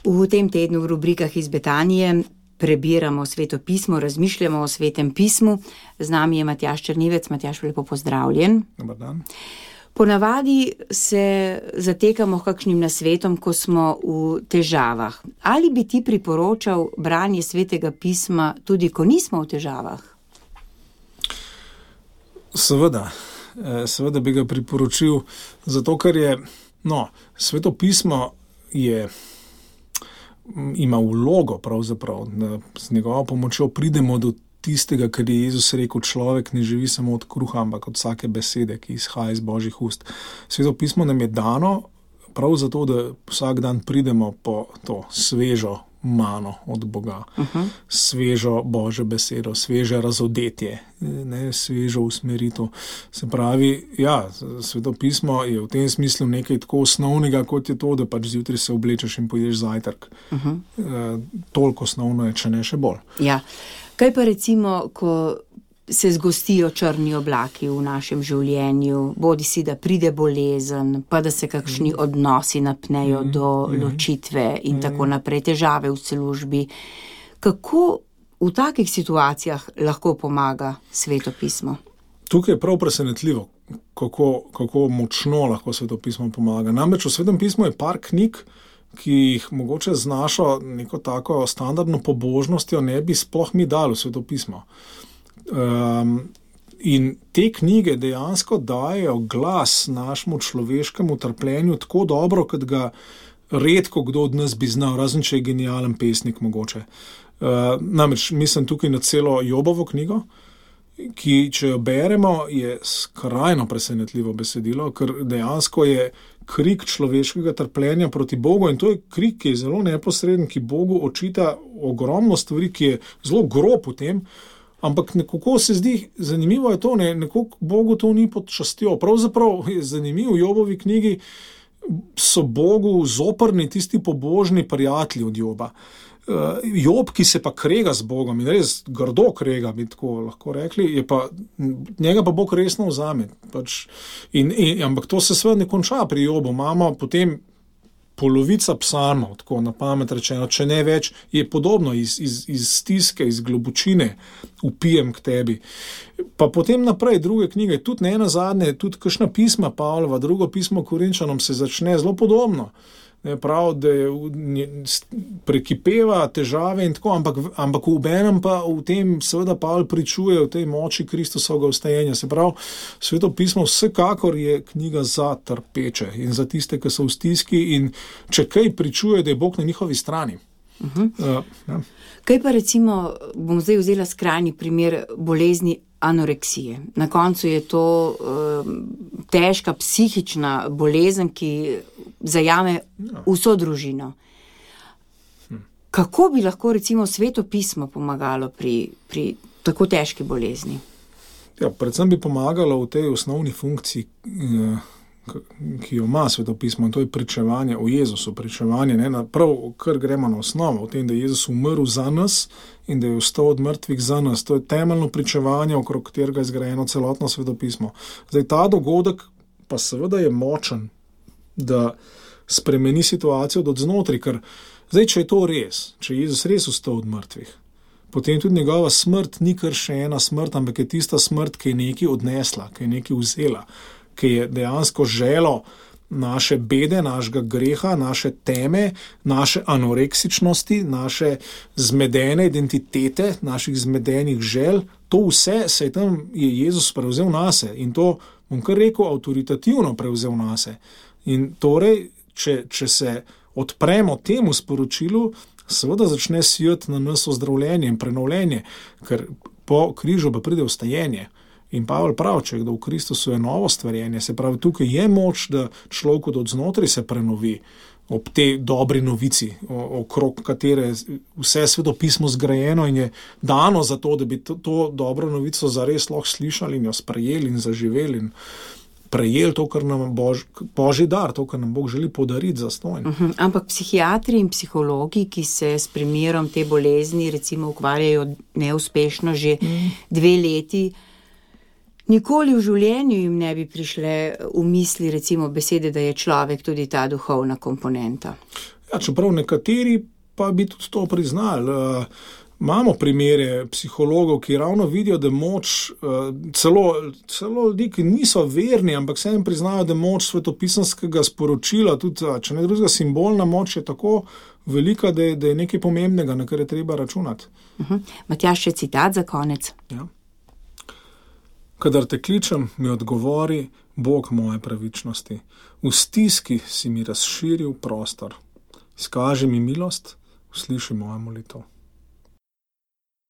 V tem tednu v rubrikah iz Betanije prebiramo Sveto pismo, razmišljamo o Svetem pismu. Z nami je Matjaž Črnivec. Matjaž, lepo pozdravljen. Dobar dan. Ponavadi se zatekamo k kakšnim nasvetom, ko smo v težavah. Ali bi ti priporočal branje Svetega pisma tudi, ko nismo v težavah? Seveda bi ga priporočil, zato ker je, Sveto pismo ima vlogo pravzaprav, da z njegovo pomočjo pridemo do tistega, kar je Jezus rekel, človek ne živi samo od kruha, ampak od vsake besede, ki izhaja iz Božjih ust. Sveto pismo nam je dano prav zato, da vsak dan pridemo po to svežo mano od Boga, svežo Božjo besedo, sveže razodetje, svežo usmeritev. Se pravi, Sveto pismo je v tem smislu nekaj tako osnovnega, kot je to, da pač zjutraj se oblečeš in pojedeš zajtrk. Toliko osnovno je, če ne še bolj. Ja. Kaj pa recimo, ko se zgostijo črni oblaki v našem življenju, bodi si, da pride bolezen, pa da se kakšni odnosi napnejo do ločitve in tako naprej, težave v službi. Kako v takih situacijah lahko pomaga Sveto pismo? Tukaj je prav presenetljivo, kako močno lahko Sveto pismo pomaga. Namreč v Svetem pismu je par knjig, ki jih mogoče z našo neko tako standardno pobožnostjo ne bi sploh mi dali v Sveto pismo. In te knjige dejansko dajo glas našemu človeškemu trpljenju tako dobro, kot ga redko kdo od nas bi znal, razen če je genijalen pesnik mogoče. Namreč mislim tukaj na celo Jobovo knjigo, ki, če jo beremo, je skrajno presenetljivo besedilo, ker dejansko je krik človeškega trpljenja proti Bogu in to je krik, ki je zelo neposreden, ki Bogu očita ogromno stvari, ki je zelo grob v tem, ampak nekako se zdi, zanimivo je to, nekako Bogu to ni pod častjo. Pravzaprav je zanimivo, v Jobovi knjigi so Bogu zoprni tisti pobožni prijatelji od Joba. Job, ki se pa krega z Bogom in res grdo krega, bi tako lahko rekli, njega pa Bog resno vzame. Ampak to se seveda ne konča pri Jobu. Imamo potem polovica psalmov, tako na pamet rečeno, če ne več, je podobno iz stiske, iz globočine vpijem k tebi. Pa potem naprej druge knjige, tudi ne nazadnje, tudi kakšna pisma Pavlova, drugo pismo Korinčanom se začne zelo podobno. Prav, da prekipeva težave in tako, ampak v enem pa v tem seveda Pavel pričuje v tej moči Kristusovega vstajenja. Se pravi, Sveto pismo vsekakor je knjiga za trpeče in za tiste, ki so v stiski in če kaj pričuje, da je Bog na njihovi strani. Kaj pa recimo, bom zdaj vzela skrajni primer bolezni anoreksije. Na koncu je to težka psihična bolezen, ki zajame vso družino. Kako bi lahko recimo Sveto pismo pomagalo pri tako težki bolezni? Predvsem bi pomagalo v tej osnovni funkciji, ki jo ima Sveto pismo, in to je pričevanje o Jezusu, pričevanje, prav, kar gremo na osnovo, o tem, da je Jezus umrl za nas in da je vstal od mrtvih za nas. To je temeljno pričevanje, okrog katerega je zgrajeno celotno Sveto pismo. Zdaj, ta dogodek pa seveda je močen, da spremeni situacijo od znotraj, ker zdaj, če je to res, če je Jezus res vstal od mrtvih, potem tudi njegova smrt ni kar še ena smrt, ampak je tista smrt, ki je nekaj odnesla, ki je nekaj vzela, ki je dejansko želo naše bede, našega greha, naše teme, naše anoreksičnosti, naše zmedene identitete, naših zmedenih žel. To vse je Jezus prevzel nase in to, bom kar rekel, avtoritativno prevzel nase. In torej, če se odpremo temu sporočilu, seveda začne sijati na nas ozdravljenje in prenovljenje, ker po križu pa pride vstajenje. In Pavel pravi, če kdo v Kristusu je novo stvarjenje, se pravi, tukaj je moč, da človek od znotraj se prenovi ob tej dobri novici, okrog katere vse Sveto pismo zgrajeno in je dano za to, da bi to dobro novico zares lahko slišali in jo sprejeli in zaživeli in prejeli to, kar nam Božji dar, to, kar nam Bog želi podariti zastonj. Ampak psihiatri in psihologi, ki se s primerom te bolezni recimo ukvarjajo neuspešno že 2 leti, nikoli v življenju jim ne bi prišle v misli recimo besede, da je človek tudi ta duhovna komponenta. Ja, čeprav nekateri pa bi tudi to priznali. Imamo primere psihologov, ki ravno vidijo, da moč, celo ljudi, ki niso verni, ampak se jim priznajo, da moč svetopisanskega sporočila, tudi če ne drugega simbolna moč je tako velika, da je nekaj pomembnega, na kar je treba računati. Matjaž, še citat za konec. Ja. Kadar te kličem, mi odgovori Bog moje pravičnosti. V stiski si mi razširil prostor. Izkaži mi milost, usliši mojo molitev.